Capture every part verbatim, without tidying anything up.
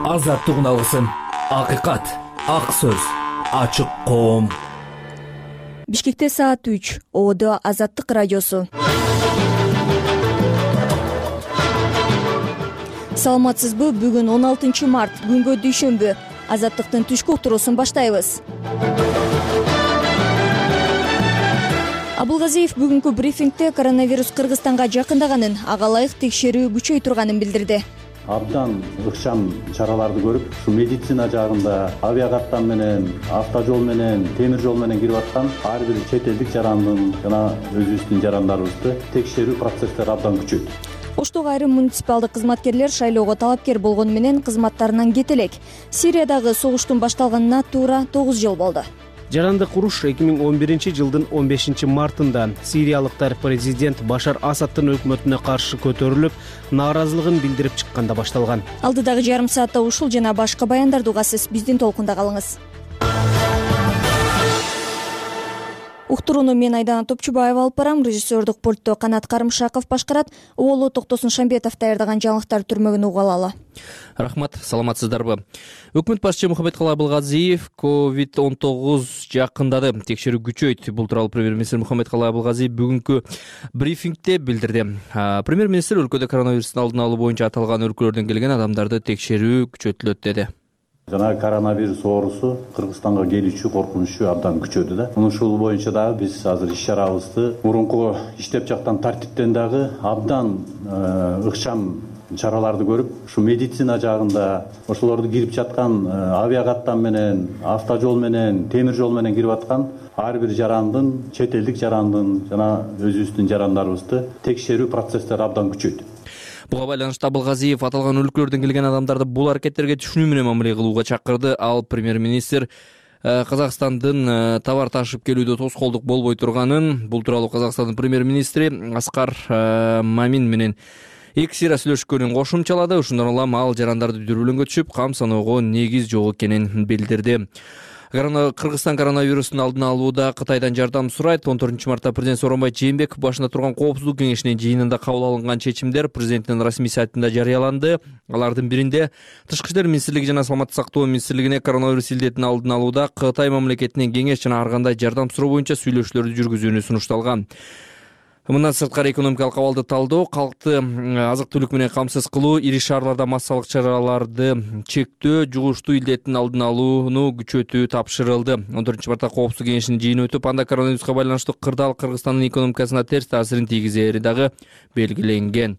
азаттык уналысын. Акыйкат, ак сөз, ачык коом. Бишкекте саат үч. Одо Азаттык радиосу. Саламатсызбы? Бүгүн он алтынчы март, күнгө дүйшөмбү. Азаттыктын түшкү уктуруусун баштайбыз. Абылгазиев бүгүнкү брифингде коронавирус Кыргызстанга жакындаганын, ага ылайык текшерүү күчөй турганын билдирди. Абдан ыкчам чараларды көрүп, ушу медицина жагында авиакаттан менен, автожол менен, темир жол менен кирип аткан ар бир чет элдик жарандын жана өзүбүздүн жарандарыбызды текшерүү процесстери абдан күчөйт. Оштогу айрым муниципалдык кызматкерлер шайлоого талапкер болгону менен кызматтарынан кете элек. Сириядагы согуштун башталганына туура тогуз жыл болду. Жарандык уруш эки миң он биринчи жылдын он бешинчи мартында сириялыктар президент Башар Асадтын өкмөтүнө каршы көтөрүлүп, нааразылыгын билдирип чыкканда башталган. Алдыдагы жарым саатта ушул жана башка баяндарды угасыз. Биздин толкунда калыңыз. Уктурууну мен Айдана Топчубаева алып барам. Режиссердук пультту Канат Карымшаков башкарат. Оолу Токтосун Шамбетов даярдаган жаңылыктар түрмөгүн угуп алалы. Рахмат, саламатсыздарбы? Өкмөт башчы Мухаммедкалый Абылгазиев ковид он тогуз жакындады, текшерүү күчөйт. Бул тууралуу премьер-министр Мухаммедкалый Абылгазиев бүгүнкү брифингде билдирди. Премьер-министр өлкөдө коронавирустун алдын алуу боюнча аталган өлкөлөрдөн келген адамдарды текшерүү күчөтүлөт деди. Жана коронавирус оорусу Кыргызстанга келүүчү коркунучу абдан күчөдү да. Ушул боюнча дагы биз азыр иш-чарабызды мурунку иштеп жаткан тартиптен дагы абдан ыкчам чараларды көрүп, ушу медицина жагында ошолорду кирип жаткан авиакаттан менен, автожол менен, темир жол менен кирип аткан ар бир жарандын, чет элдик жарандын жана өзүбүздүн жарандарыбызды текшерүү процесстери абдан күчөйт. Буга байланыштуу Абылгазиев аталган өлкөлөрдөн келген адамдарды бул аракеттерге түшүнүү менен мамиле кылууга чакырды. Ал премьер-министр Казакстандын товар ташып келүүдө тоскоолдук болбой турганын, бул тууралуу Казакстандын премьер-министри Аскар Мамин менен эксира сүйлөшкөнүн кошумчалады. Ошондон улам ал жарандарды дүрбөлөңгө түшүп, кам саноого негиз жок экенин билдирди. Кыргызстан коронавирустун алдын алууда Кытайдан жардам сурайт. он төртүнчү мартта президент Сооронбай Жээнбеков башында турган коопсуздук кеңешинин жыйынында кабыл алынган чечимдер президенттин расмий сайтында жарыяланды. Алардын биринде Тышкы иштер министрлиги жана Саламаттык сактоо министрлигине коронавирус илдетин алдын алууда Кытай мамлекетинен кеңеш жана ар кандай жардам суроо боюнча сүйлөшүүлөрдү жүргүзүүнү сунушталган. Мындан сырткары экономикалык абалды талдоо, калкты азык-түлүк менен камсыз кылуу, ири шаарларда массалык чараларды чектөө, жугуштуу илдеттин алдын алууну күчөтүү тапшырылды. он төртүнчү мартта коопсуздук кеңешинин жыйыны өтүп, анда коронавируска байланыштуу кырдаал Кыргызстандын экономикасына терс таасирин тийгизери дагы белгиленген.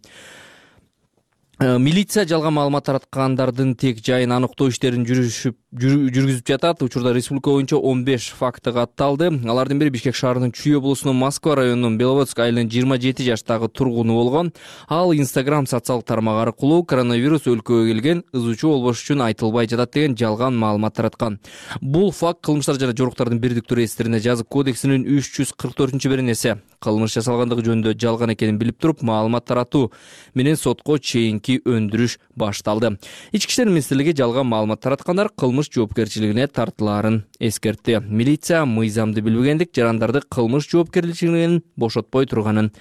Милиция жалган маалымат тараткандардын тек жайын аныктоо иштерин жүргүзүп жатат. Учурда республика боюнча он беш факты катталды. Алардын бири Бишкек шаарынын Чүй облусунун Москва районунун Беловодск айылынын жыйырма жети жаштагы тургуну болгон. Ал Instagram социалдык тармак аркылуу коронавирус өлкөгө келген, ызуучу болбош үчүн айтылбай жатат деген жалган маалымат тараткан. Бул факт кылмыштар жана жоруктардын бирдиктүү реестрине жазык кодексинин үч жүз кырк төртүнчү беренеси. Кылмыш жасалгандыгы жөнүндө жалган экенин билип туруп, маалымат таратуу менен сотко чейинки өндүрүш башталды. Ички иштер министрлиги жалган маалымат тараткандар кылмыш жоопкерчилигине тартылаарын эскертти. Милиция мыйзамды билбегендик жарандарды кылмыш жоопкерчилигинен бошотпой турганын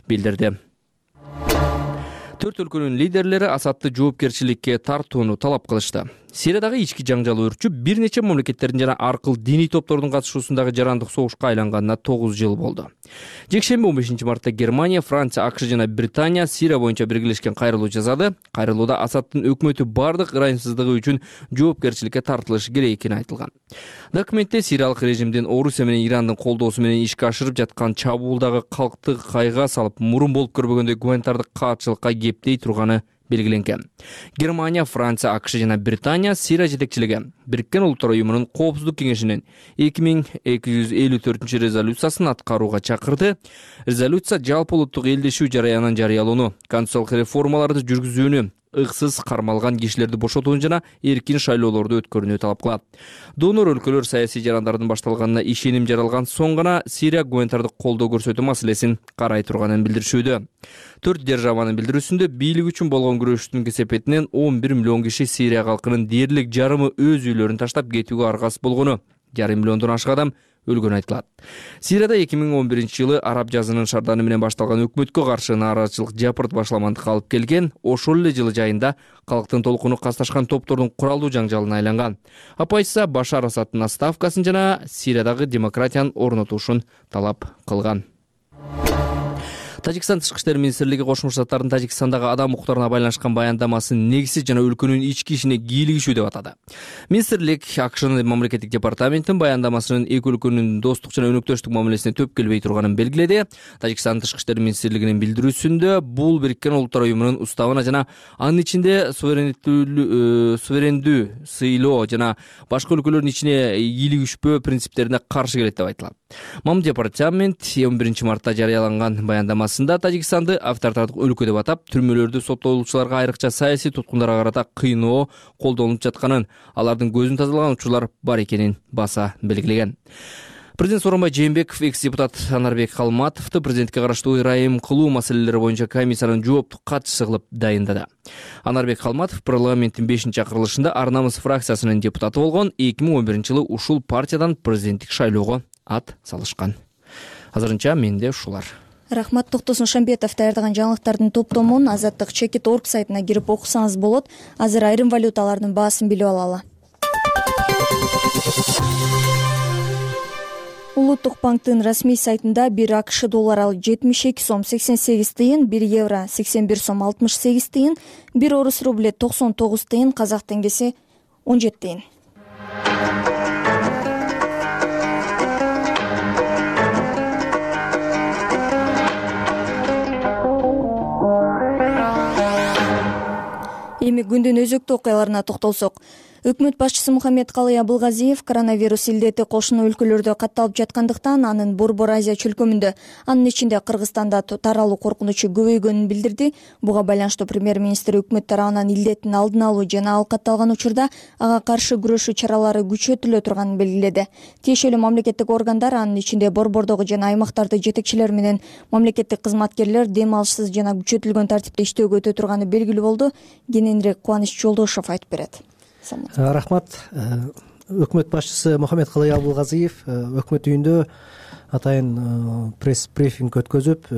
билдирди. Төрт өлкөнүн лидерлери Асадты жоопкерчиликке тартууну талап кылышты. Сириядагы ички жаңжал өрчүп, бир нече мамлекеттердин жана аркыл диний топтордун катышуусундагы жарандык согушка айланганына тогуз жыл болду. Жекшемби он бешинчи мартта Германия, Франция, АКШ жана Британия Сирия боюнча биргелешкен кайрылуу жасады. Кайрылууда Асадтын өкмөтү бардык ырайымсыздыгы үчүн жоопкерчиликке тартылышы керек экени айтылган. Документте сириялык режимдин Орусия менен Ирандын колдоосу менен ишке ашырып жаткан чабуулдагы калкты кайга салып, мурун болуп көрбөгөндөй гуманитардык каатчылыкка кептей турганы белгиленген. Германия, Франция, АКШ жана Британия Сирия жетекчилиги Бириккен Улуттар уюмунун коопсуздук кеңешинин эки миң эки жүз элүү төртүнчү резолюциясын аткарууга чакырды. Резолюция жалпы улуттук элдешүү жараянын жарыялоону, конституциялык реформаларды жүргүзүүнү, ыксыз кармалган кишилерди бошотууну жана эркин шайлоолорду өткөрүүнү талап кылат. Донор өлкөлөр саясий жарандардын башталганына ишеним жаралган соң гана Сирия гуманитардык колдоо көрсөтүү маселесин карай турганын билдиришүүдө. Төрт державанын билдирүүсүндө бийлик үчүн болгон күрөштүн кесепетинен он бир миллион киши Сирия калкынын дээрлик жарымы өз үйлөрүн таштап кетүүгө аргасыз болгону, жарым миллиондон ашык адам өлгөнү айтылат. Сирияда эки миң он биринчи жылы араб жазынын шарданы менен башталган өкмөткө каршы нааразычылык жапырт башламандыкка алып келген. Ошол эле жылы жайында калктын толкуну касташкан топтордун куралдуу жаңжалына айланган. Оппозиция Башар Асадтын отставкасын жана Сириядагы демократиянын орнотушун талап кылган. Тажикстан Тышкы иштер министрлиги Кошмо Штаттардын Тажикстандагы адам укуктарына байланышкан баяндамасын негизсиз жана өлкөнүн ички ишине кийлигишүү деп атады. Министрлик АКШнын мамлекеттик департаментин баяндамасынын эки өлкөнүн достук жана өнөктөштүк мамилесине төп келбей турганын белгиледи. Тажикстан Тышкы иштер министрлигинин билдирүүсүндө бул Бириккен Улуттар уюмунун уставына жана анын ичинде суверендүү сыйлоо жана башка өлкөлөрдүн ичине кийлигишпөө принциптерине каршы келет деп айтылат. Мам департамент он биринчи мартта жарыяланган баяндамасында Тажикстанды авторитардык өлкө деп атап, түрмөлөрдү соттолуучуларга айрыкча саясий туткундарга карата кыйноо колдонулуп жатканын, алардын көзүн тазалаган учурлар бар экенин баса белгилеген. Президент Сооронбай Жээнбеков экс-депутат Анарбек Калматовду президентке караштуу ырайым кылуу маселелери боюнча комиссиянын жооптук катчысы кылып дайындады. Анарбек Калматов парламенттин бешинчи акырылышында Ар намыс фракциясынын депутаты болгон. эки миң он биринчи жылы ушул партиядан президенттик шайлоого ат салышкан. Азырынча менде ушулар. Рахмат. Токтосун Шамбетов даярдаган жаңылыктардын топтомун Азаттык чекит орг сайтына кирип окусаңыз болот. Азыр айрым валюталардын баасын билип алалы. Улуттук банктын расмий сайтында бир АКШ доллары жетимиш эки сом сексен сегиз тыйын, бир евро сексен бир сом алтымыш сегиз тыйын, бир орус рубле токсон тогуз тыйын, казак теңгеси он жети тыйын. Эми күндүн өзөктүү окуяларына токтолсок, өкмөт башчысы Мухаммед Калый Абылгазиев коронавирус илдети кошуна өлкөлөрдө катталып жаткандыктан анын Борбор Азия чөлкөмүндө, анын ичинде Кыргызстанда таралуу коркунучу көбөйгөнүн билдирди. Буга байланыштуу премьер-министр өкмөт тарабынан илдеттин алдын алуу жана ал катталган учурда ага каршы күрөшүү чаралары күчөтүлө турганын белгиледи. Тиешелүү мамлекеттик органдар, анын ичинде борбордогу жана аймактардагы жетекчилер менен мамлекеттик кызматкерлер дем алышсыз жана күчөтүлгөн тартипте иштөөгө өтө турганы белгилүү болду. Кененирээк Кубаныч Жолдошов айтып берет. Рахмат. Өкмөт башчысы Мухаммед Калый Абылгазиев өкмөт үйүндө атайын пресс брифинг өткөзүп,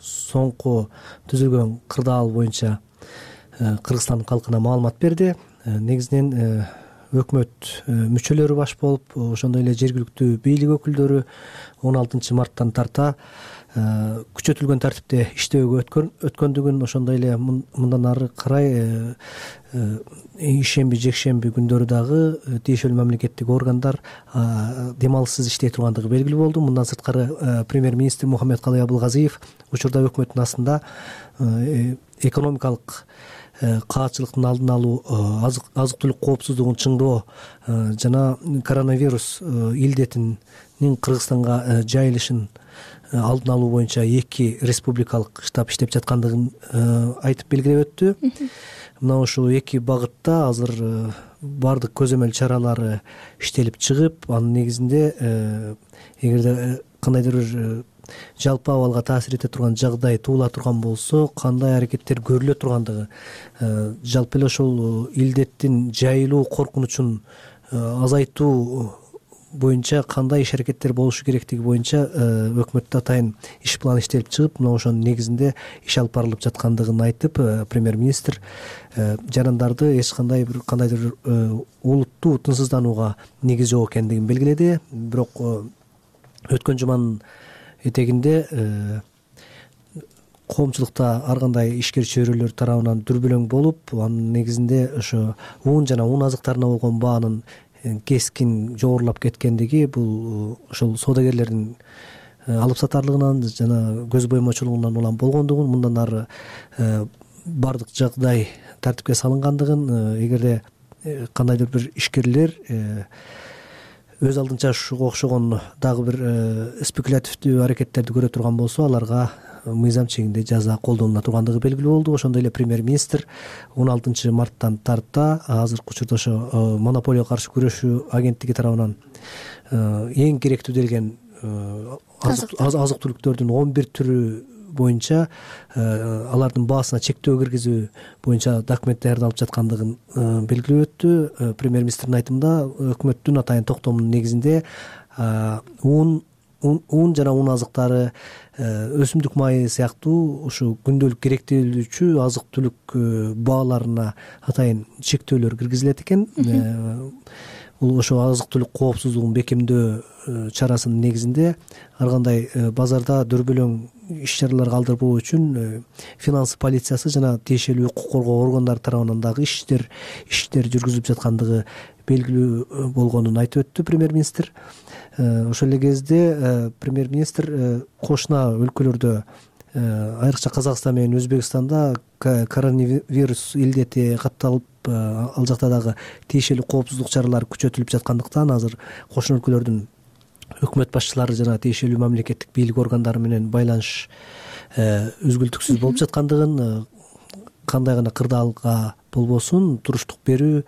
соңку түзүлгөн кырдаал боюнча Кыргызстан калкына маалымат берди. Негизинен өкмөт мүчөлөрү баш болуп, ошондой эле жергиликтүү бийлик өкүлдөрү он алтынчы марттан тарта күчөтүлгөн тартипте иштөөгө өткөндүгүн, ошондой эле мындан ары карай ишемби, жекшемби күндөрү дагы тиешелүү мамлекеттик органдар дем алышсыз иштей тургандыгы белгилүү болду. Мындан сырткары премьер-министр Мухаммед Калый Абылгазиев учурда өкмөттүн астында экономикалык каатчылыктын алдын алуу, азык түлүк коопсуздугун чыңдоо жана коронавирус илдетинин Кыргызстанга жайылышын алдын алуу боюнча эки республикалык штаб иштеп жаткандыгын айтып белгилеп өттү. Мына ушул эки багытта азыр бардык көзөмөл чаралары иштелип чыгып, анын негизинде эгерде кандайдыр бир жалпы абалга таасир эте турган жагдай туула турган болсо, кандай аракеттер көрүлө тургандыгы, жалпы эле ошол илдеттин жайылуу коркунучун азайтуу боюнча кандай иш аракеттер болушу керектиги боюнча өкмөттө атайын иш план иштелип чыгып, мына ошонун негизинде иш алып барылып жаткандыгын айтып, премьер-министр жарандарды эч кандай бир кандайдыр олуттуу тынчсызданууга негиз жок экендигин белгиледи. Бирок өткөн жуманын этегинде коомчулукта ар кандай ишкер чөйрөлөр тарабынан дүрбөлөң болуп, анын негизинде ошо ун жана ун азыктарына болгон баанын кескин жогорулап кеткендиги, бул ошол соодагерлердин алып сатарлыгынан жана көз боймочулугунан улам болгондугун, мындан ары бардык жагдай тартипке салынгандыгын, эгерде кандайдыр бир ишкерлер өз алдынча ушуга окшогон дагы бир спекулятивдүү аракеттерди көрө турган болсо, аларга мыйзам чегинде жаза колдонула тургандыгы белгилүү болду. Ошондой эле премьер-министр он алтынчы марттан тарта азыркы учурда ошо монополияга каршы күрөшүү агенттиги тарабынан эң керектүү делген азык түлүктөрдүн он бир түрү боюнча алардын баасына чектөө киргизүү боюнча документ даярдалып жаткандыгын белгилеп өттү. Премьер-министрдин айтымында өкмөттүн атайын токтомунун негизинде ун ун жана ун азыктары, өсүмдүк майы сыяктуу ушу күндөлүк керектелүүчү азык түлүк бааларына атайын чектөөлөр киргизилет экен. Бул ошо азык түлүк коопсуздугун бекемдөө чарасынын негизинде ар кандай базарда дөрбөлөң иш чаралар калтырбоо үчүн финанс полициясы жана тиешелүү укук коргоо органдары тарабынан дагы иштер иштер жүргүзүлүп жаткандыгы белгилүү болгонун айтып өттү премьер-министр. Ошол эле кезде премьер-министр кошуна өлкөлөрдө, айрыкча Казакстан менен Өзбекстанда коронавирус илдети катталып, ал жакта дагы тиешелүү коопсуздук чаралары күчөтүлүп жаткандыктан азыр кошуна өлкөлөрдүн өкмөт башчылары жана тиешелүү мамлекеттик бийлик органдары менен байланыш үзгүлтүксүз болуп жаткандыгын, кандай гана кырдаалга болбосун туруштук берүү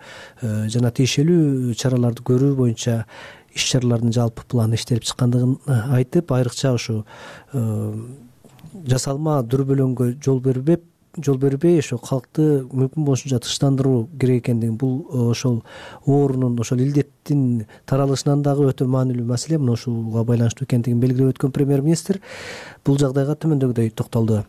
жана тиешелүү чараларды көрүү боюнча иш чаралардын жалпы планы иштелип чыккандыгын айтып, айрыкча ушу жасалма дүрбөлөңгө жол бербей жол бербей ошо калкты мүмкүн болушунча тынчтандыруу керек экендигин, бул ошол оорунун, ошол илдеттин таралышынан дагы өтө маанилүү маселе, мына ушуга байланыштуу экендигин белгилеп өткөн премьер-министр бул жагдайга төмөндөгүдөй токтолду.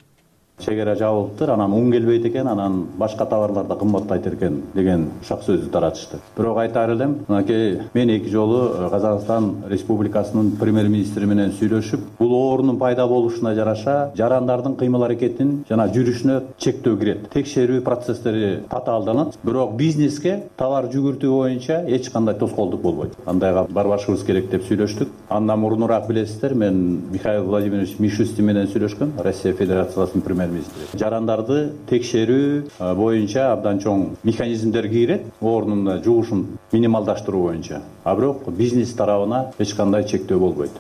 Чегара жабылыптыр, анан ун келбейт экен, анан башка товарлар да кымбаттайт экен деген ушак сөздү таратышты. Бирок айтаар элем, мынакей мен эки жолу Казакстан Республикасынын премьер-министри менен сүйлөшүп, бул оорунун пайда болушуна жараша жарандардын кыймыл аракетин жана жүрүшүнө чектөө кирет. Текшерүү процесстери татаалданат, бирок бизнеске товар жүгүртүү боюнча эч кандай тоскоолдук болбойт. Андайга барбашыбыз керек деп сүйлөштүк. Андан мурунураак билесиздер, мен Михаил Владимирович Мишустин менен сүйлөшкөм, Россия Федерациясынын премьер жарандарды текшерүү боюнча абдан чоң механизмдер кирет, оорунун жугушун минималдаштыруу боюнча. А бирок бизнес тарабына эч кандай чектөө болбойт.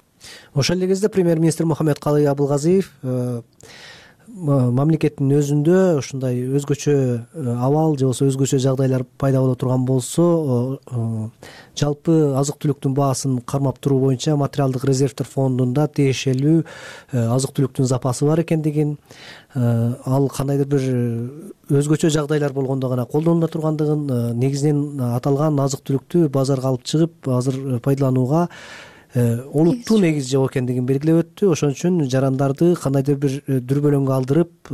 Ошол эле кезде премьер-министр Мухаммедкалый Абылгазиев мамлекеттин өзүндө ушундай өзгөчө абал же болбосо өзгөчө жагдайлар пайда боло турган болсо, жалпы азык түлүктүн баасын кармап туруу боюнча материалдык резервдер фондунда тиешелүү азык түлүктүн запасы бар экендигин, ал кандайдыр бир өзгөчө жагдайлар болгондо гана колдонула тургандыгын, негизинен аталган азык түлүктү базарга алып чыгып азыр пайдаланууга олуттуу негиз жок экендигин белгилеп өттү. Ошон үчүн жарандарды кандайдыр бир дүрбөлөңгө алдырып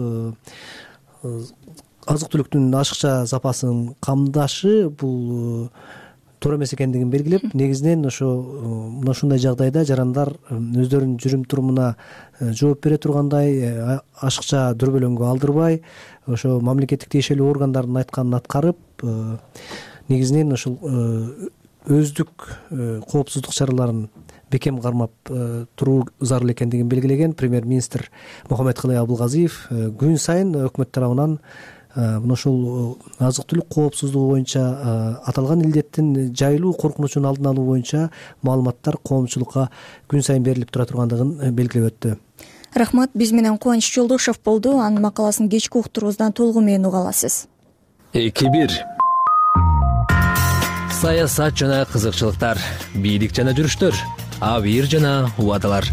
азык түлүктүн ашыкча запасын камдашы бул туура эмес экендигин белгилеп, негизинен ошо мына ушундай жагдайда жарандар өздөрүнүн жүрүм турумуна жооп бере тургандай ашыкча дүрбөлөңгө алдырбай, ошо мамлекеттик тиешелүү органдардын айтканын аткарып, негизинен ушул өздүк коопсуздук чараларын бекем кармап туруу зарыл экендигин белгилеген премьер-министр Мухаммедкалый Абылгазиев күн сайын өкмөт тарабынан мына ушул азык түлүк коопсуздугу боюнча аталган илдеттин жайылуу коркунучун алдын алуу боюнча маалыматтар коомчулукка күн сайын берилип тура тургандыгын белгилеп өттү. Рахмат, биз менен Кубаныч Жолдошов болду. Анын макаласын кечки уктуруубуздан толугу менен уга аласыз. эки бир саясат жана кызыкчылыктар, бийлик жана жүрүштөр, абийир жана убадалар.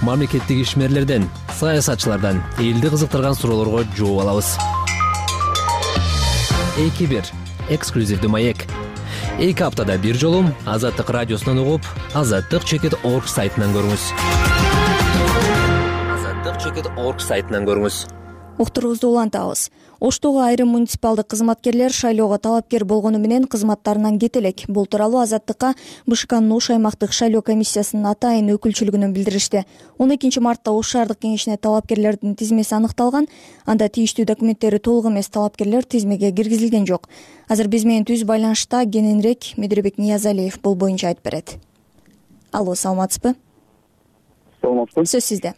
Мамлекеттик ишмерлерден, саясатчылардан элди кызыктырган суроолорго жооп алабыз. эки бир эксклюзивдүү маек. эки аптада бир жолу Азаттык радиосунан угуп, азаттык чекит орг сайтынан көрүңүз. азаттык чекит орг сайтынан көрүңүз. Уктуруубузду улантабыз. Оштогу айрым муниципалдык кызматкерлер шайлоого талапкер болгону менен кызматтарынан кете элек. Бул тууралуу Азаттыкка БШКнын Ош аймактык шайлоо комиссиясынын атайын өкүлчүлүгүнөн билдиришти. он экинчи мартта Ош шаардык кеңешине талапкерлердин тизмеси аныкталган. Анда тийиштүү документтери толук эмес талапкерлер тизмеге киргизилген жок. Азыр биз менен түз байланышта кененирээк Медирбек Ниязалиев бул боюнча айтып берет. Алло, саламатсызбы? Саламатсызбы. Сөз сизде.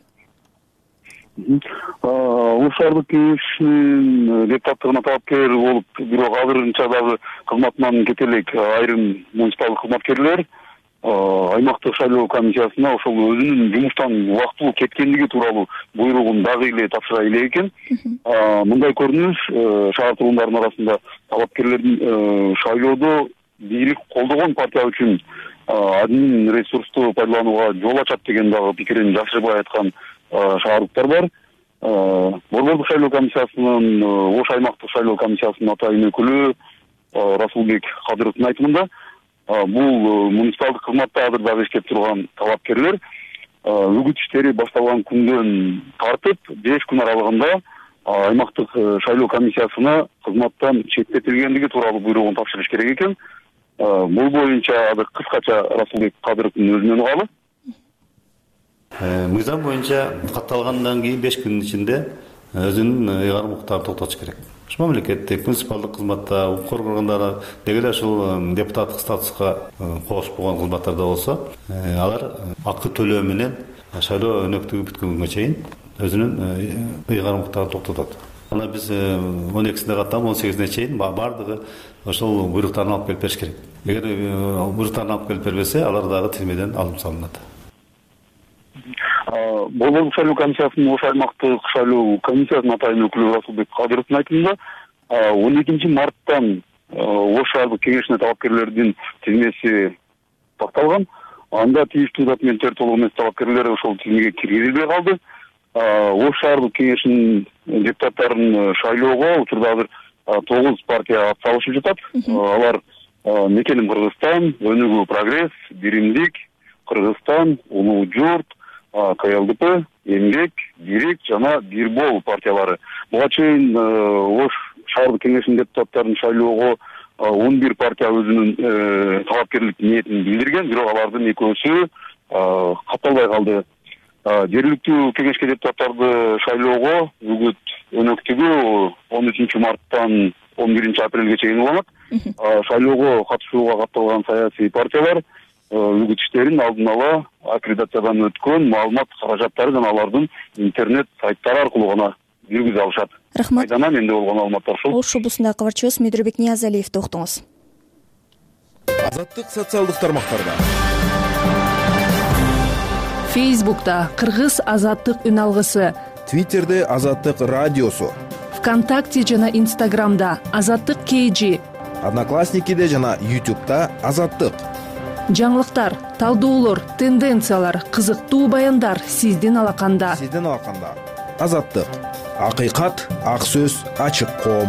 Ош шаардык кеңешинин депутаттыгына талапкер болуп, бирок азырынча дагы кызматынан кете элек айрым муниципалдык кызматкерлер аймактык шайлоо комиссиясына ошол өзүнүн жумуштан убактылуу кеткендиги тууралуу буйругун дагы эле тапшыра элек экен. Мындай көрүнүш шаар тургундарынын арасында талапкерлердин шайлоодо бийлик колдогон партия үчүн админ ресурсту пайдаланууга жол ачат деген дагы пикирин жашырбай айткан шаардыктар бар. Борбордук шайлоо комиссиясынын, Ош аймактык шайлоо комиссиясынын атайын өкүлү Расулбек Кадыровдун айтымында бул муниципалдык кызматта азыр дагы иштеп турган талапкерлер үгүт иштери башталган күндөн тартып беш күн аралыгында аймактык шайлоо комиссиясына кызматтан четтетилгендиги тууралуу буйругун тапшырыш керек экен. Бул боюнча азыр кыскача Расулбек Кадыровдун өзүнөн угалы. Мыйзам боюнча катталгандан кийин беш күнүн ичинде өзүнүн ыйгарым укуктарын токтотуш керек. Ушул мамлекеттик муниципалдык кызматта, укук органдары деги эле ушул депутаттык статуска кошуп койгон кызматтарда болсо, алар акы төлөө менен шайлоо өнөктүгү бүткөнгө чейин өзүнүн ыйгарым укуктарын токтотот. Ана биз он экисинде каттап он сегизине чейин бардыгы ошол буйруктарын алып келип бериш керек. Эгер буйруктарын алып келип бербесе, алар дагы тизмеден алынып салынат. Болболдук шайлоо комиссиясынын ош аймактык шайлоо комиссиясынын атайын өкүлү Расулбек Кадыровдун айтымында он экинчи марттан Ош шаардык кеңешине талапкерлердин тизмеси такталган. Анда тийиштүү документтер толук эмес талапкерлер ошол тизмеге киргизилбей калды. Ош шаардык кеңешинин депутаттарын шайлоого учурда азыр тогуз партия атсалышып жатат. Алар Мекеним Кыргызстан, Өнүгүү Прогресс, Биримдик, Кыргызстан, Улуу Журт, КЛДП, Эмгек, Бирик жана Бирбол партиялары. Буга чейин Ош шаардык кеңешинин депутаттарын шайлоого он бир партия өзүнүн талапкерлик ниетин билдирген, бирок алардын экөөсү катталбай калды. Жергиликтүү кеңешке депутаттарды шайлоого үгүт өнөктүгү он үчүнчү марттан он биринчи апрелге чейин уланат. Шайлоого катышууга катталган саясий партиялар үгүт иштерин алдын ала аккредитациядан өткөн маалымат каражаттары жана алардын интернет сайттары аркылуу гана жүргүзө алышат. Рахмат. Айдана менде болгон маалыматтар ушул. Ош облусундагы кабарчыбыз Медирбек Ниязалиевди уктуңуз. Азаттык социалдык тармактарда. Фейсбукта Кыргыз азаттык үн алгысы, Твиттерде Азаттык радиосу, ВКонтакте жана Инстаграмда Азаттык кейжи, Одноклассникиде жана Ютубта Азаттык. Жаңылыктар, талдоолор, тенденциялар, кызыктуу баяндар сиздин алаканда. Сиздин алаканда. Азаттык. Акыйкат, ак сөз, ачык коом.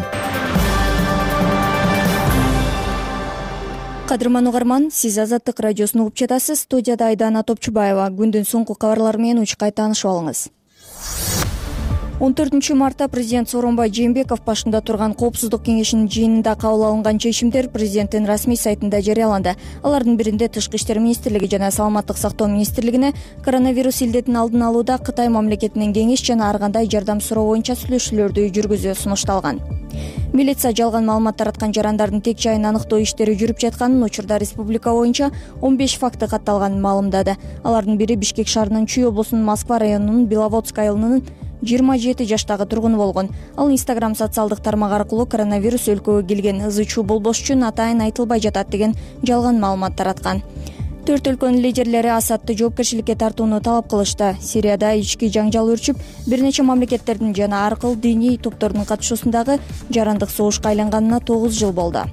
Кадырман угарман, сиз Азаттык радиосун угуп жатасыз. Студияда Айдана Топчубаева. Күндүн соңку кабарлары менен учкай таанышып алыңыз. он төртүнчү мартта президент Сооронбай Жээнбеков башында турган Коопсуздук кеңешинин жыйынында кабыл алынган чечимдер президенттин расмий сайтында жарыяланды. Алардын биринде Тышкы иштер министрлиги жана Саламаттык сактоо министрлигине коронавирус илдетин алдын алууда Кытай мамлекетинен кеңеш жана ар кандай жардам суроо боюнча сүйлөшүүлөрдү жүргүзүү сунушталган. Милиция жалган маалымат тараткан жарандардын тек жайын аныктоо иштери жүрүп жатканын, учурда республика боюнча он беш факты катталганын маалымдады. Алардын бири Бишкек шаарынын Чүй облусунун Москва районунун Беловодск айылынын жыйырма жети жаштагы тургуну болгон. Ал Instagram социалдык тармак аркылуу коронавирус өлкөгө келген ызы чуу болбош үчүн атайын айтылбай жатат деген жалган маалымат тараткан. Төрт өлкөнүн лидерлери Асадты жоопкерчиликке тартууну талап кылышты. Сирияда ички жаңжал өрчүп, бир нече мамлекеттердин жана ар кыл диний топтордун катышуусундагы жарандык согушка айланганына тогуз жыл болду.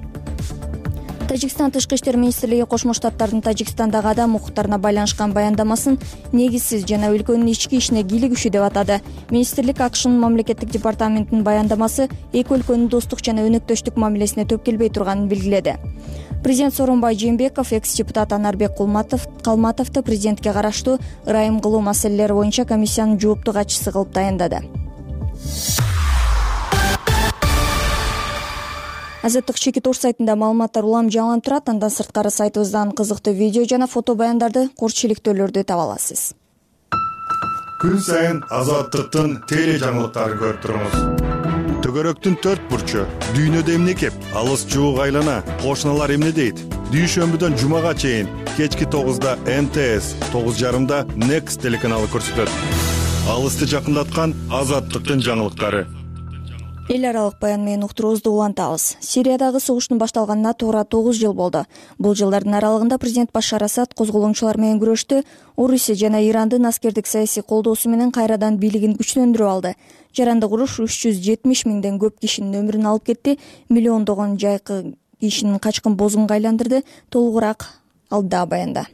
Тажикстан Тышкы иштер министрлиги Кошмо Штаттардын Тажикстандагы адам укуктарына байланышкан баяндамасын негизсиз жана өлкөнүн ички ишине кийлигишүү деп атады. Министрлик АКШнын мамлекеттик департаментинин баяндамасы эки өлкөнүн достук жана өнөктөштүк мамилесине төп келбей турганын белгиледи. Президент Сооронбай Жээнбеков экс-депутат Анарбек Калматовду президентке караштуу ырайым кылуу маселелери боюнча комиссиянын жоопту катчысы кылып таяндады. Азаттык чекит Ош сайтында маалыматтар улам жаңыланып турат. Андан сырткары сайтыбыздан кызыктуу видео жана фото баяндарды, курчиликтөөлөрдү таба аласыз. Күн сайын Азаттыктын теле жаңылыктарын көрүп туруңуз. Төгөрөктүн төрт бурчу, дүйнөдө эмне кеп, алыс жуук айлана, кошуналар эмне дейт? Дүйшөмбүдөн жумага чейин кечки тогузда эм тэ эс, тогуз жарымда Next телеканалы көрсөтөт. Алысты жакындаткан Азаттыктын жаңылыктары. Эл аралык баян менен уктуруубузду улантабыз. Сириядагы согуштун башталганына туура тогуз жыл болду. Бул жылдардын аралыгында президент Башар Асад козголоңчулар менен күрөштү. Орусия жана Ирандын аскердик саясий колдоосу менен кайрадан бийлигин күчтөндүрүп алды. Жаранды уруш үч жүз жетимиш миңден көп кишинин өмүрүн алып кетти. Миллиондогон жайкы кишинин качкын бозгунга айландырды. Толугураак алда баянда.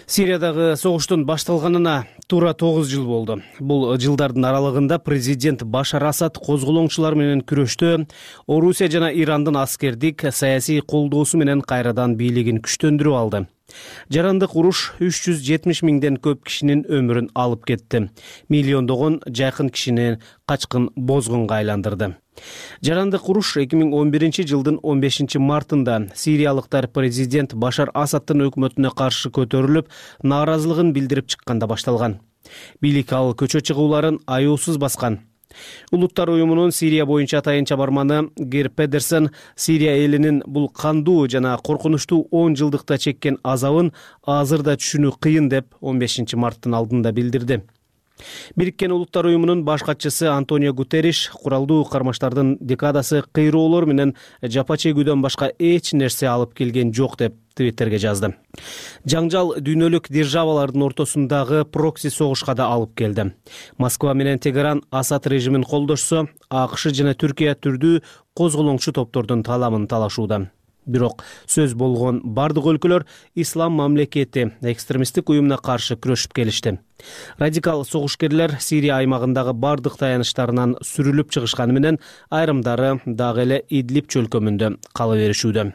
Сириядагы согуштун башталганына туура тогуз жыл болду. Бул жылдардын аралыгында президент Башар Асад козголоңчулар менен күрөштө Орусия жана Ирандын аскердик, саясий колдоосу менен кайрадан бийлигин күчтөндүрүп алды. Жарандык уруш үч жүз жетимиш миңден көп кишинин өмүрүн алып кетти. Миллиондогон жакын кишини качкын бозгунга айландырды. Жарандык уруш эки миң он биринчи жылдын он бешинчи мартында сириялыктар президент Башар Асадтын өкмөтүнө каршы көтөрүлүп, нааразылыгын билдирип чыкканда башталган. Бийлик ал көчө чыгууларын аюусуз баскан. Улуттар уюмунун Сирия боюнча атайынча барманы Гер Педерсен Сирия элинин бул кандуу жана коркунучтуу он жылдыкта чеккен азабын азыр да түшүнүү кыйын деп он бешинчи марттын алдында билдирди. Бириккен Улуттар уюмунун баш катчысы Антонио Гутерриш куралдуу кармаштардын декадасы кыйроолор менен жапа чегүүдөн башка эч нерсе алып келген жок деп Твиттерге жазды. Жаңжал дүйнөлүк державалардын ортосундагы прокси согушка да алып келди. Москва менен Тегеран Асад режимин колдошсо, АКШ жана Түркия түрдүү козголоңчу топтордун таламын талашууда. Бирок сөз болгон бардык өлкөлөр ислам мамлекети экстремисттик уюмуна каршы күрөшүп келишти. Радикал согушкерлер Сирия аймагындагы бардык таяныштарынан сүрүлүп чыгышканы менен айрымдары дагы эле Идлиб чөлкөмүндө кала беришүүдө.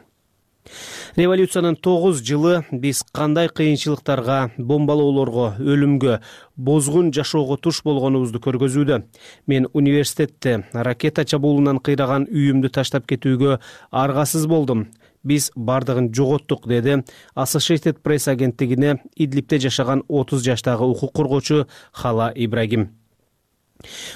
Революциянын тогуз жылы биз кандай кыйынчылыктарга, бомбалоолорго, өлүмгө, бозгун жашоого туш болгонубузду көргөзүүдө. Мен университетте ракета чабуулунан кыйраган үйүмдү таштап кетүүгө аргасыз болдум. Биз бардыгын жоготтук, деди Associated Press агенттигине Идлибте жашаган отуз жаштагы укук коргоочу Хала Ибрагим.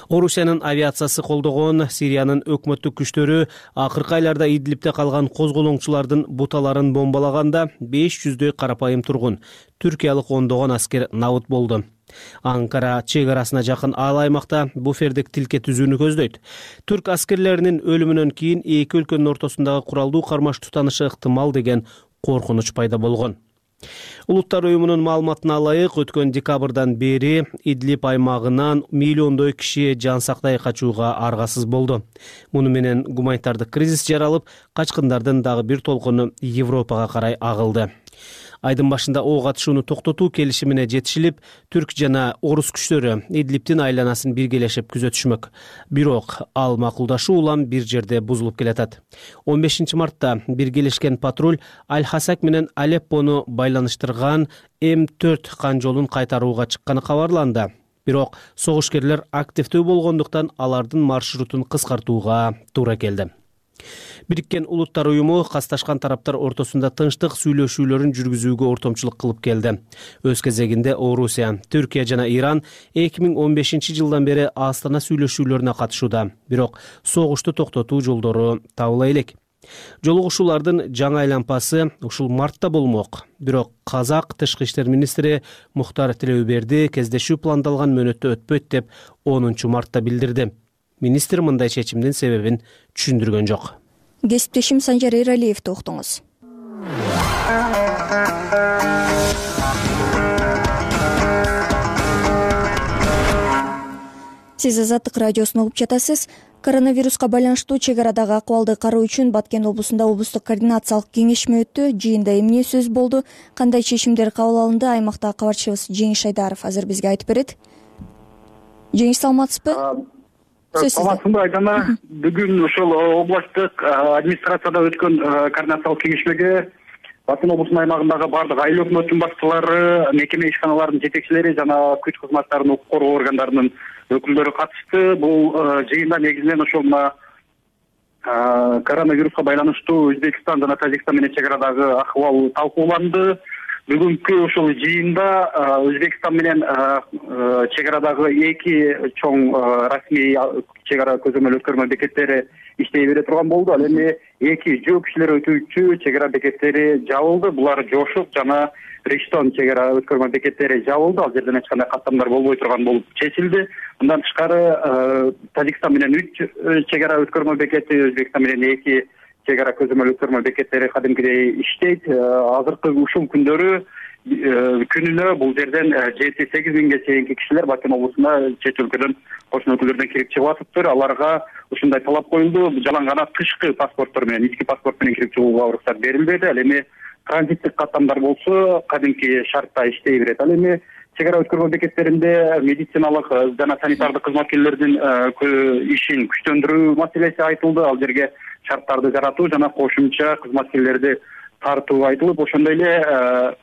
Орусиянын авиациясы колдогон Сириянын өкмөттүк күчтөрү акыркы айларда Идлибте калган козголоңчулардын буталарын бомбалаганда беш жүздөй карапайым тургун, түркиялык ондогон аскер набыт болду. Анкара чек арасына жакын ал аймакта буфердик тилке түзүүнү көздөйт. Түрк аскерлеринин өлүмүнөн кийин эки өлкөнүн ортосундагы куралдуу кармаш тутанышы ыктымал деген коркунуч пайда болгон. Улуттар уюмунун маалыматына ылайык, өткөн декабрдан бери Идлиб аймагынан миллиондой киши жан сактай качууга аргасыз болду. Муну менен гуманитардык кризис жаралып, качкындардын дагы бир толкуну Европага карай агылды. Айдын башында ок атышууну токтотуу келишимине жетишилип, түрк жана орус күчтөрү Идлибтин айланасын биргелешип күзөтүшмөк. Бирок ал макулдашуу улам бир жерде бузулуп келатат. он бешинчи мартта биргелешкен патруль Аль-Хасак менен Алеппону байланыштырган М төрт кан жолун кайтарууга чыкканы кабарланды. Бирок согушкерлер активдүү болгондуктан алардын маршрутун кыскартууга туура келди. Бириккен Улуттар уюму касташкан тараптар ортосунда тынчтык сүйлөшүүлөрүн жүргүзүүгө ортомчулук кылып келди. Өз кезегинде Орусия, Түркия жана Иран эки миң он бешинчи жылдан бери Астана сүйлөшүүлөрүнө катышууда. Бирок согушту токтотуу жолдору табыла элек. Жолугушуулардын жаңы аймпасы ушул мартта болмок. Бирок Казак тышкы иштер министри Мухтар Тилеуберди кездешүү пландалган мөөнөттө өтпөйт деп онунчу мартта билдирди. Министр мындай чечимдин себебин түшүндүргөн жок. Кесиптешим Санжар Эралиевди уктуңуз. Сиз Азаттык радиосун угуп жатасыз. Коронавируска байланыштуу чек арадагы акыбалды кароо үчүн Баткен облусунда облустук координациялык кеңешме өттү. Жыйында эмне сөз болду, кандай чечимдер кабыл алынды, аймактагы кабарчыбыз Жеңиш Айдаров азыр бизге айтып берет. Жеңиш, саламатсызбы? Саламатсызбы Айдана? Бүгүн ошол областтык администрацияда өткөн координациялык кеңешмеге Баткен облусунун аймагындагы бардык айыл өкмөттүн башчылары, мекеме ишканаларынын жетекчилери жана күч кызматтарынын укук коргоо органдарынын өкүлдөрү катышты. Бул жыйында негизинен ошол мына коронавируска байланыштуу Өзбекстан жана Тажикстан менен чек арадагы акыбал талкууланды. Бүгүнкү ошол жыйында Өзбекстан менен чек арадагы эки чоң расмий чек ара көзөмөл өткөрмө бекеттери иштей бере турган болду. Ал эми эки жөө кишилер өтүүчү чек ара бекеттери жабылды. Булар Жошук жана Риштон чек ара өткөрмө бекеттери жабылды. Ал жерден эч кандай каттамдар болбой турган болуп чечилди. Мындан тышкары Тажикстан менен үч чек ара өткөрмө бекети, Өзбекстан менен эки чек ара көзөмөл өткөрмө бекеттери кадимкидей иштейт. Азыркы ушул күндөрү күнүнө бул жерден жети сегиз миңге чейинки кишилер Баткен облусуна чет өлкөдөн, кошуна өлкөлөрдөн кирип чыгып атыптыр. Аларга ушундай талап коюлду. Жалаң гана тышкы паспорттор менен, ички паспорт менен кирип чыгууга уруксат берилбеди. Ал эми транзиттик каттамдар болсо кадимки шартта иштей берет. Ал эми чек ара өткөрмө бекеттеринде медициналык жана санитардык кызматкерлердин ишин күчтөндүрүү маселеси айтылды. Ал жерге шарттарды жаратуу жана кошумча кызматкерлерди тартуу айтылып, ошондой эле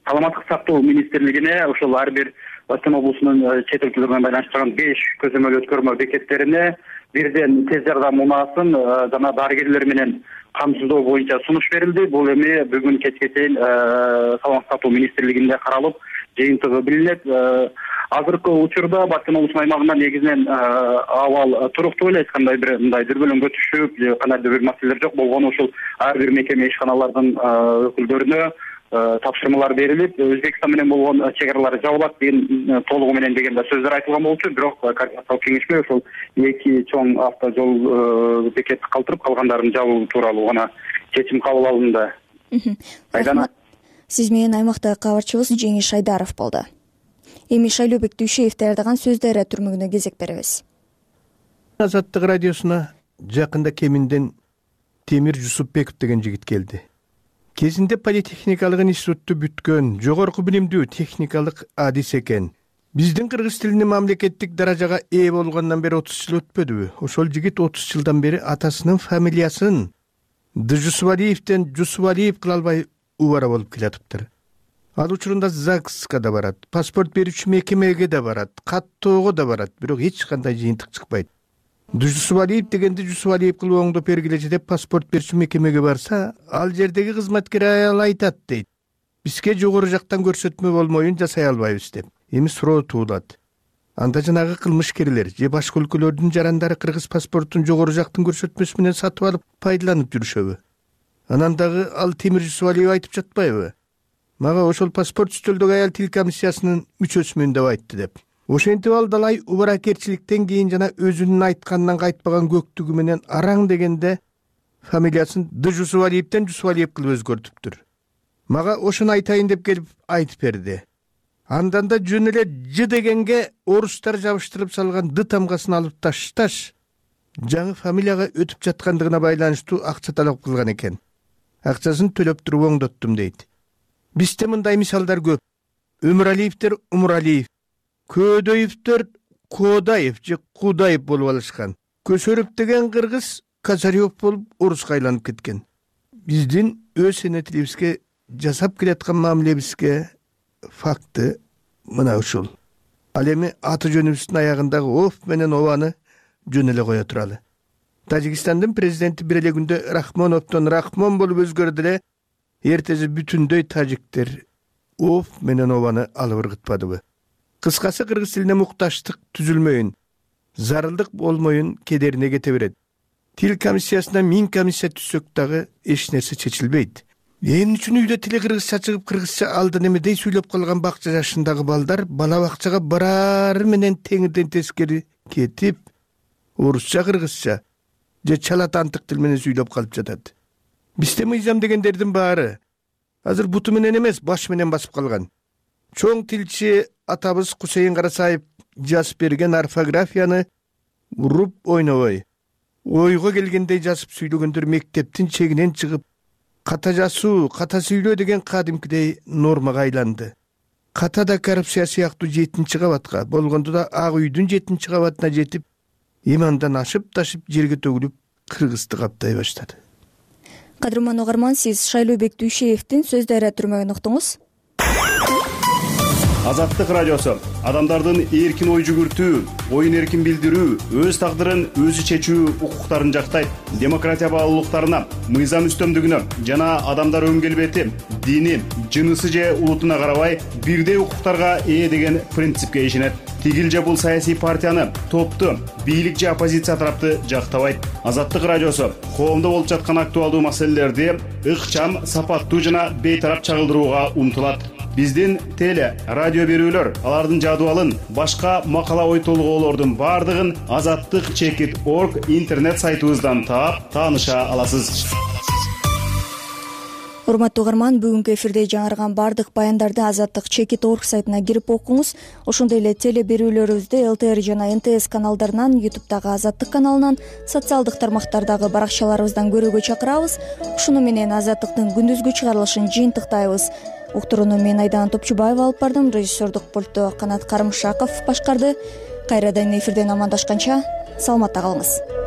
саламаттык сактоо министрлигине ошол ар бир Баткен облусунун чет өлкөлөр менен байланыштырган беш көзөмөл өткөрмө бекеттерине бирден тез жардам унаасын жана дарыгерлер менен камсыздоо боюнча сунуш берилди. Бул эми бүгүн кечке чейин саламаттык сактоо министрлигинде каралып, жыйынтыгы билинет. Азыркы учурда Баткен облусунун аймагында негизинен абал туруктуу эле, эч кандай бир мындай дүрбөлөңгө түшүп, кандайдыр бир маселелер жок болгону ушул ар бир мекеме ишканалардын өкүлдөрүнө тапшырмалар берилип, Өзбекстан менен болгон чек аралар жабылат деген толугу менен деген да сөздөр айтылган болчу. Бирок координациялык кеңешме ошол эки чоң автожол бекетти калтырып, калгандарын жабуу тууралуу гана чечим кабыл алынды. Айдана. Сиз менен аймактагы кабарчыбыз Жеңиш Айдаров болду. Эми Шайлообек Дүйшеев даярдаган Сөздөр түрмөгүнө кезек беребиз. Азаттык радиосуна жакында Кеминден Темир Жусупбеков деген жигит келди. Кезинде политехникалык институтту бүткөн, жогорку билимдүү техникалык адис экен. Биздин кыргыз тилинин мамлекеттик даражага ээ болгондон бери отуз жыл өтпөдүбү? Ошол жигит отуз жылдан бери атасынын фамилиясын Джусубалиевден Жусубалиев кыла албай убара болуп келатыптыр. Ал учурунда ЗАГСка да барат, паспорт берүүчү мекемеге да барат, каттоого да барат, бирок эч кандай жыйынтык чыкпайт. Жусубалиев дегенди Жусубалиев кылып оңдоп бергилечи деп паспорт берүүчү мекемеге барса, ал жердеги кызматкер аял айтат дейт. Бизге жогору жактан көрсөтмө болмоюн жасай албайбыз деп. Эми суроо туулат. Анда жанагы кылмышкерлер же башка өлкөлөрдүн жарандары кыргыз паспортун жогору жактын көрсөтмөсү менен сатып алып пайдаланып жүрүшөбү? Анан дагы ал Темир Жусубалиев айтып жатпайбы? Мага ошол паспорт үстөлдөгү аял тил комиссиясынын мүчөсүмүн деп айтты деп. Ошентип ал далай убаракерчиликтен кийин жана өзүнүн айтканынан кайтпаган көктүгү менен араң дегенде фамилиясын Джусубалиевден Жусубалиев кылып өзгөртүптүр. Мага ошону айтайын деп келип айтып берди. Андан да жөн эле Ж дегенге орустар жабыштырып салган Д тамгасын алып ташташ, жаңы фамилияга өтүп жаткандыгына байланыштуу акча талап кылган экен. Акчасын төлөп туруп оңдоттум дейт. Бизде мындай мисалдар көп. Өмүралиевдер Умуралиев, Көөдөевдер Коодаев же Куудаев болуп алышкан. Көсөрөп деген кыргыз Казарев болуп орусга айланып кеткен. Биздин өз эне тилибизге жасап келаткан мамилебизге факты мына ушул. Ал эми аты жөнүбүздүн аягындагы оф менен обаны жөн эле кое туралы. Тажикстандын президенти бир эле күндө Рахмоновдон Рахмон болуп өзгөрдү эле, эртеси бүтүндөй тажиктер оф менен обаны алып ыргытпадыбы? Кыскасы, кыргыз тилине мукташтык түзүлмөйүн, зарылдык болмоюн кедерине кете берет. Тил комиссиясына миң комиссия түзсөк дагы эч нерсе чечилбейт. Эмне үчүн үйдө тили кыргызча чыгып, кыргызча алдан эмедей сүйлөп калган бакча жашындагы балдар бала бакчага барары менен теңирден тескери кетип, орусча, кыргызча же чалатантык тил менен сүйлөп калып жатат. Бизде мыйзам дегендердин баары азыр буту менен эмес, баш менен басып калган. Чоң тилчи атабыз Кусейин Карасаев жазып берген орфографияны уруп ойнобой, ойго келгендей жазып сүйлөгөндөр мектептин чегинен чыгып, ката жазуу, ката сүйлөө деген кадимкидей нормага айланды. Ката да коррупция сыяктуу жетинчи кабатка, болгондо да ак үйдүн жетинчи кабатына жетип, имандан ашып-ташып жерге төгүлүп, кыргызды каптай баштады. Кадырман угарман, сиз Шайлообек Дүйшеевдин Сөздөр түрмөгүн уктуңуз. Азаттык радиосу адамдардын эркин ой жүгүртүү, оюн эркин билдирүү, өз тагдырын өзү чечүү укуктарын жактайт. Демократия баалуулуктарына, мыйзам үстөмдүгүнө жана адамдар өң келбети, дини, жынысы же улутуна карабай бирдей укуктарга ээ деген принципке ишенет. Тигил же бул саясий партияны, топту, бийлик же оппозиция тарапты жактабайт. Азаттык радиосу коомдо болуп жаткан актуалдуу маселелерди ыкчам, сапаттуу жана бейтарап чагылдырууга умтулат. Биздин теле, радио берүүлөр, алардын жадыбалын, башка макала ой толгоолордун бардыгын азаттык чекит орг интернет сайтыбыздан таап, тааныша аласыз. урматтуу угарман, бүгүнкү эфирде жаңырган баардык баяндарды Азаттык чекит орг сайтына кирип окуңуз. Ошондой эле теле берүүлөрүбүздү эл тэ эр жана эн тэ эс каналдарынан, ютубтагы Азаттык каналынан, социалдык тармактардагы баракчаларыбыздан көрүүгө чакырабыз. Ушуну менен Азаттыктын күндүзгү чыгарылышын жыйынтыктайбыз. Уктурууну мен Айдан Топчубаева алып бардым, режиссердук пультту Канат Карымшаков башкарды. Кайрадан эфирден амандашканча саламатта калыңыз.